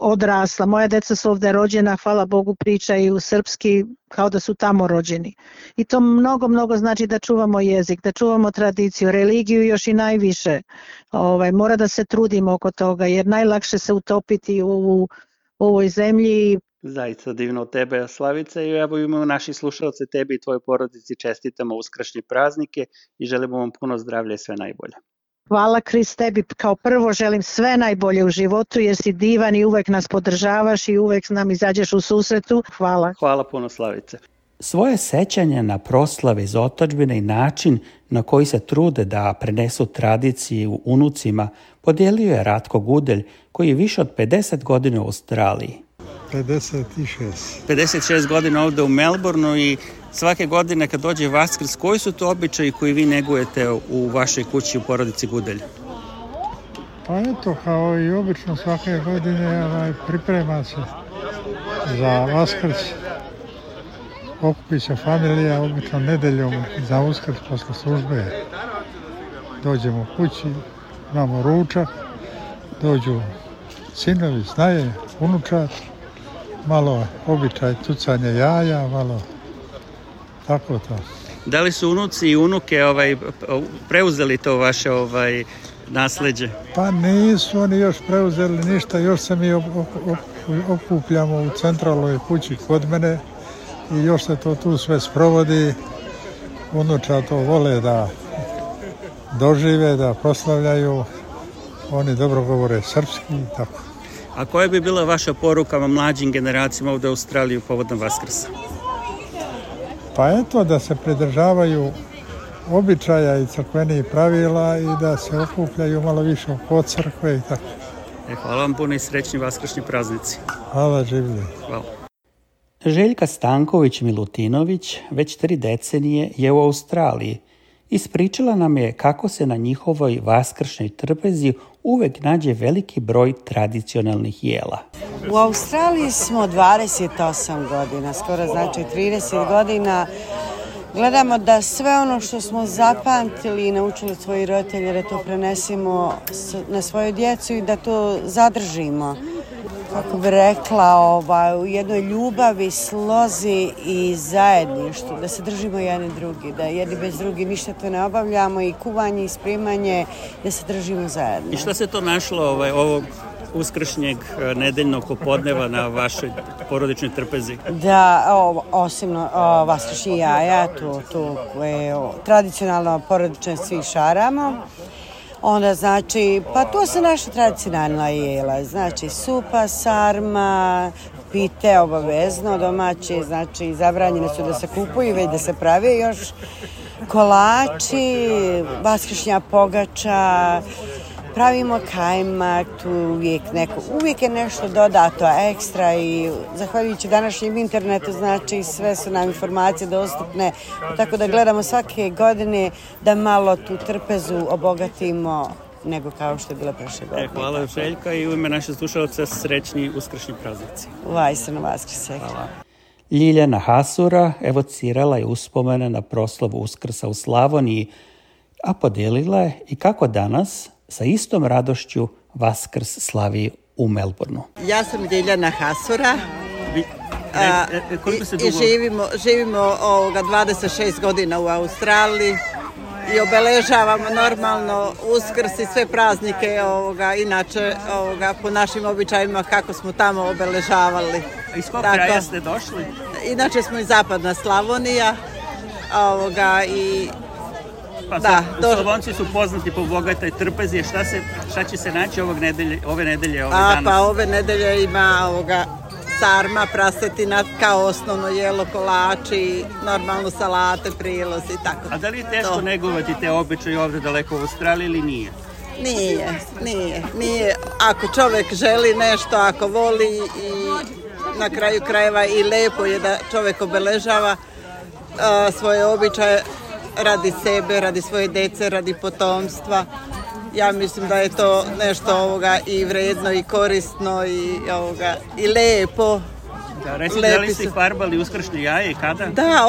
odrasla, moja deca su ovde rođena, hvala Bogu, pričaju srpski kao da su tamo rođeni. I to mnogo znači da čuvamo jezik, da čuvamo tradiciju, religiju još i najviše. Mora da se trudimo oko toga, jer najlakše se utopiti u ovoj zemlji. Zaista divno od tebe, Slavica, i evo imamo naši slušalce, tebi i tvojoj porodici čestitamo uskršnje praznike i želimo vam puno zdravlja i sve najbolje. Hvala, Kris, tebi kao prvo želim sve najbolje u životu jer si divan i uvek nas podržavaš i uvek nam izađeš u susretu. Hvala. Hvala puno, Slavice. Svoje sećanje na proslave iz otadžbine i način na koji se trude da prenesu tradiciju unucima podijelio je Ratko Gudelj, koji je više od 50 godina u Australiji. 56. 56 godina ovde u Melbourneu i svake godine kad dođe Vaskrs, koji su to običaji koji vi negujete u vašoj kući u porodici Gudelj? Pa eto, kao i obično svake godine priprema se za Vaskrs. Okupi se familija, obično nedeljom za Uskrs posle službe. Dođemo kući, imamo ručak, dođu sinovi, snaje, unučat, malo običaj tucanje jaja, malo tako to. Da li su unuci i unuke preuzeli to vaše nasleđe? Pa nisu oni još preuzeli ništa, još se mi okupljamo u centralnoj kući kod mene i još se to tu sve sprovodi. Unuča to vole da dožive, da proslavljaju, oni dobro govore srpski i tako. A koja bi bila vaša poruka mlađim generacijama ovdje u Australiji povodom Vaskrsa? Pa eto, da se pridržavaju običaja i crkvenih pravila i da se okupljaju malo više oko crkve i tako. Hvala vam puno i srećni vaskršnji praznici. Hvala, življe. Hvala. Željka Stanković-Milutinović već 3 decenije je u Australiji. Ispričala nam je kako se na njihovoj vaskršnjoj trpezi uvek nađe veliki broj tradicionalnih jela. U Australiji smo 28 godina, skoro znači 30 godina. Gledamo da sve ono što smo zapamtili i naučili od svojih roditelja da to prenesemo na svoju djecu i da to zadržimo. Kako bi rekla, u jednoj ljubavi, slozi i zajedništvu, da se držimo jedni drugi, da jedni bez drugi ništa to ne obavljamo i kuvanje i spremanje, da se držimo zajedno. I što se to našlo ovog uskršnjeg nedeljnog popodneva na vašoj porodičnoj trpezi? Da, osim vaskršnji jaja, tu je tradicionalno porodično svi šaramo. Onda znači, pa to su naša tradicionalna jela, znači supa, sarma, pite obavezno domaći, znači zabranjene su da se kupuju, već da se prave još kolači, vaskršnja pogača, pravimo kajmak, tu uvijek je nešto dodato ekstra i zahvaljujući današnjem internetu, znači sve su nam informacije dostupne, tako da gledamo svake godine da malo tu trpezu obogatimo nego kao što je bila prošle godine. Hvala Željka i u ime naše slušalce srećni uskršnji praznici. Vajsano Vaskrse. Hvala. Ljiljana Hasura evocirala je uspomene na proslavu Uskrsa u Slavoniji, a podijelila je i kako danas sa istom radošću Vaskrs slavi u Melbourneu. Ja sam Ljiljana Hasura i živimo 26 godina u Australiji i obeležavamo normalno Uskrs i sve praznike inače po našim običajima kako smo tamo obeležavali. Iz kog kraja ste došli? Inače smo iz Zapadna Slavonija i Slavonci su poznati po bogatoj trpezi. Šta će se naći ove nedelje? Pa ove nedelje ima sarma, prasetina kao osnovno jelo, kolači, normalno salate, prilozi i tako. A da li je teško negovati te običaje ovdje daleko u Australiji ili nije? Nije. Ako čovjek želi nešto, ako voli i na kraju krajeva i lepo je da čovjek obeležava svoje običaje radi sebe, radi svoje djece, radi potomstva. Ja mislim da je to nešto i vredno i korisno i lepo. Da, recite, da li ste farbali uskršnje jaje i kada? Da,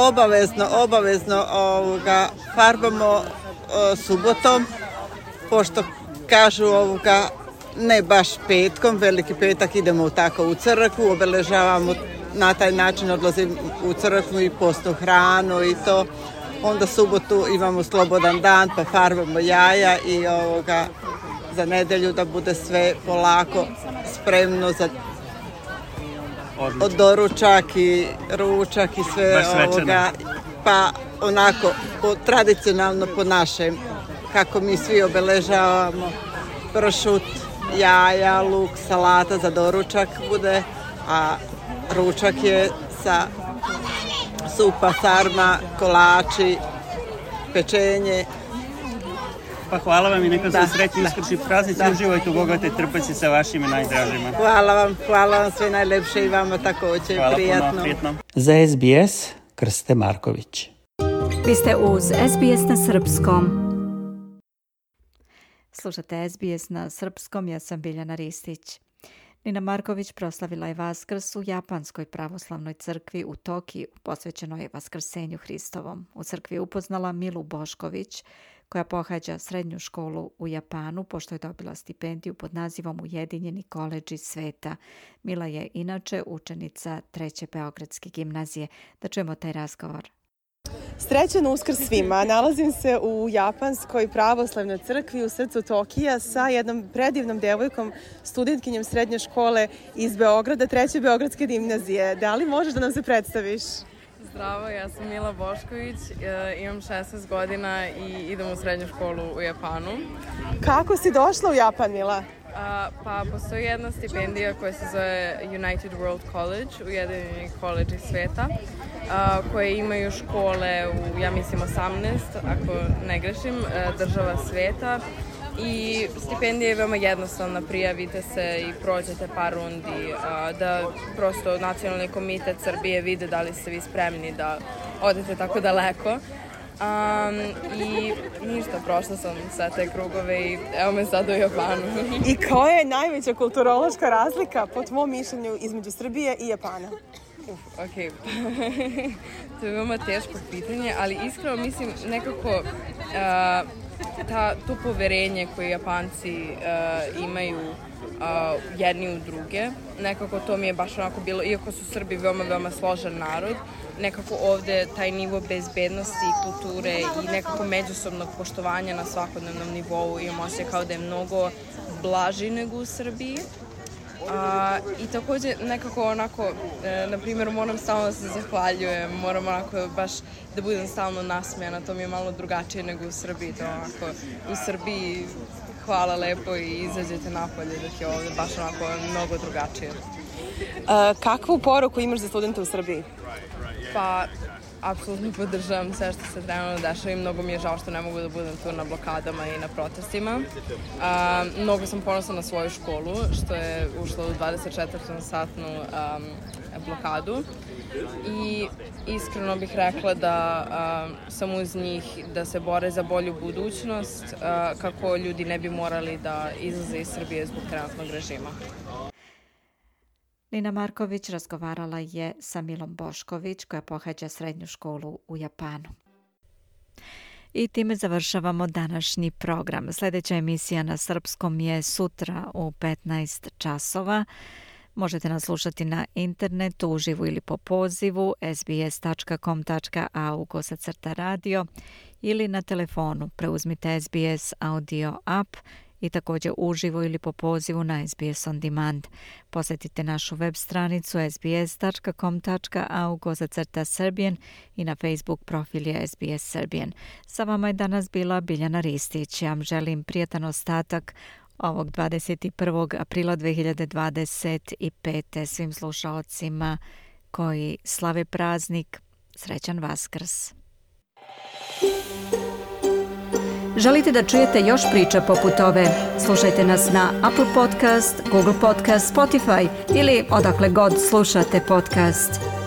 obavezno farbamo subotom, pošto kažu ne baš petkom, veliki petak idemo tako u crkvu, obeležavamo na taj način, odlazim u crkvu i postnu hranu i to. Onda subotu imamo slobodan dan pa farbamo jaja i za nedelju da bude sve polako spremno za doručak i ručak i sve pa onako tradicionalno po našem kako mi svi obeležavamo pršut, jaja, luk, salata za doručak bude, a ručak je sa supa, sarma, kolači, pečenje. Pa hvala vam i neka se srećni uskršnji praznici. Uživajte u bogatoj trpezi sa vašim najdražima. Hvala vam sve najlepše i vama također. Prijatno. Za SBS Krste Marković. Vi ste uz SBS na srpskom. Slušate SBS na srpskom, ja sam Biljana Ristić. Nina Marković proslavila je Vaskrs u Japanskoj pravoslavnoj crkvi u Tokiju, posvećenoj Vaskrsenju Hristovom. U crkvi je upoznala Milu Bošković, koja pohađa srednju školu u Japanu, pošto je dobila stipendiju pod nazivom Ujedinjeni koledži sveta. Mila je inače učenica 3. Beogradske gimnazije. Da čujemo taj razgovor. Srećan Uskrs svima. Nalazim se u Japanskoj pravoslavnoj crkvi u srcu Tokija sa jednom predivnom devojkom, studentkinjom srednje škole iz Beograda, 3. Beogradske gimnazije. Da li možeš da nam se predstaviš? Zdravo, ja sam Mila Bošković, imam 16 godina i idem u srednju školu u Japanu. Kako si došla u Japan, Mila? Pa postoji jedna stipendija koja se zove United World College, Ujedinjeni koledži sveta, koje imaju škole u, ja mislim, 18, ako ne grešim, država sveta. I stipendija je veoma jednostavna, prijavite se i prođete par rundi, da prosto Nacionalni komitet Srbije vide da li ste vi spremni da odete tako daleko. I ništa, prošla sam sve te krugove i evo me sad u Japanu. I koja je najveća kulturološka razlika, po tvom mišljenju, između Srbije i Japana? Ok, to je veoma teško pitanje, ali iskreno mislim nekako to poverenje koje Japanci imaju jedni u druge, nekako to mi je baš onako bilo, iako su Srbi veoma složen narod, nekako ovde taj nivo bezbednosti i kulture i nekako međusobnog poštovanja na svakodnevnom nivou imam osjećaj kao da je mnogo blaži nego u Srbiji. I takođe nekako onako, na primjer, moram stalno da se zahvaljujem, moram onako baš da budem stalno nasmejana, to mi je malo drugačije nego u Srbiji, to onako u Srbiji hvala lepo i izađete napolje, dok je ovde baš onako mnogo drugačije. Kakvu poruku imaš za studente u Srbiji? Pa, apsolutno podržavam sve što se trenutno dešava i mnogo mi je žao što ne mogu da budem tu na blokadama i na protestima. Mnogo sam ponosna na svoju školu, što je ušla u 24-satnu blokadu i iskreno bih rekla da sam uz njih da se bore za bolju budućnost, kako ljudi ne bi morali da izlaze iz Srbije zbog trenutnog režima. Nina Marković razgovarala je sa Milom Bošković, koja pohađa srednju školu u Japanu. I time završavamo današnji program. Sljedeća emisija na srpskom je sutra u 15 časova. Možete nas slušati na internetu, uživo ili po pozivu sbs.com.au/radio ili na telefonu. Preuzmite SBS audio app i također uživo ili po pozivu na SBS On Demand. Posjetite našu web stranicu sbs.com.au/Serbian i na Facebook profil je SBS Serbian. Sa vama je danas bila Biljana Ristić. Ja vam želim prijatan ostatak ovog 21. aprila 2025. svim slušalcima koji slave praznik. Srećan Vaskrs! Želite da čujete još priča poput ove? Slušajte nas na Apple Podcast, Google Podcast, Spotify ili odakle god slušate podcast.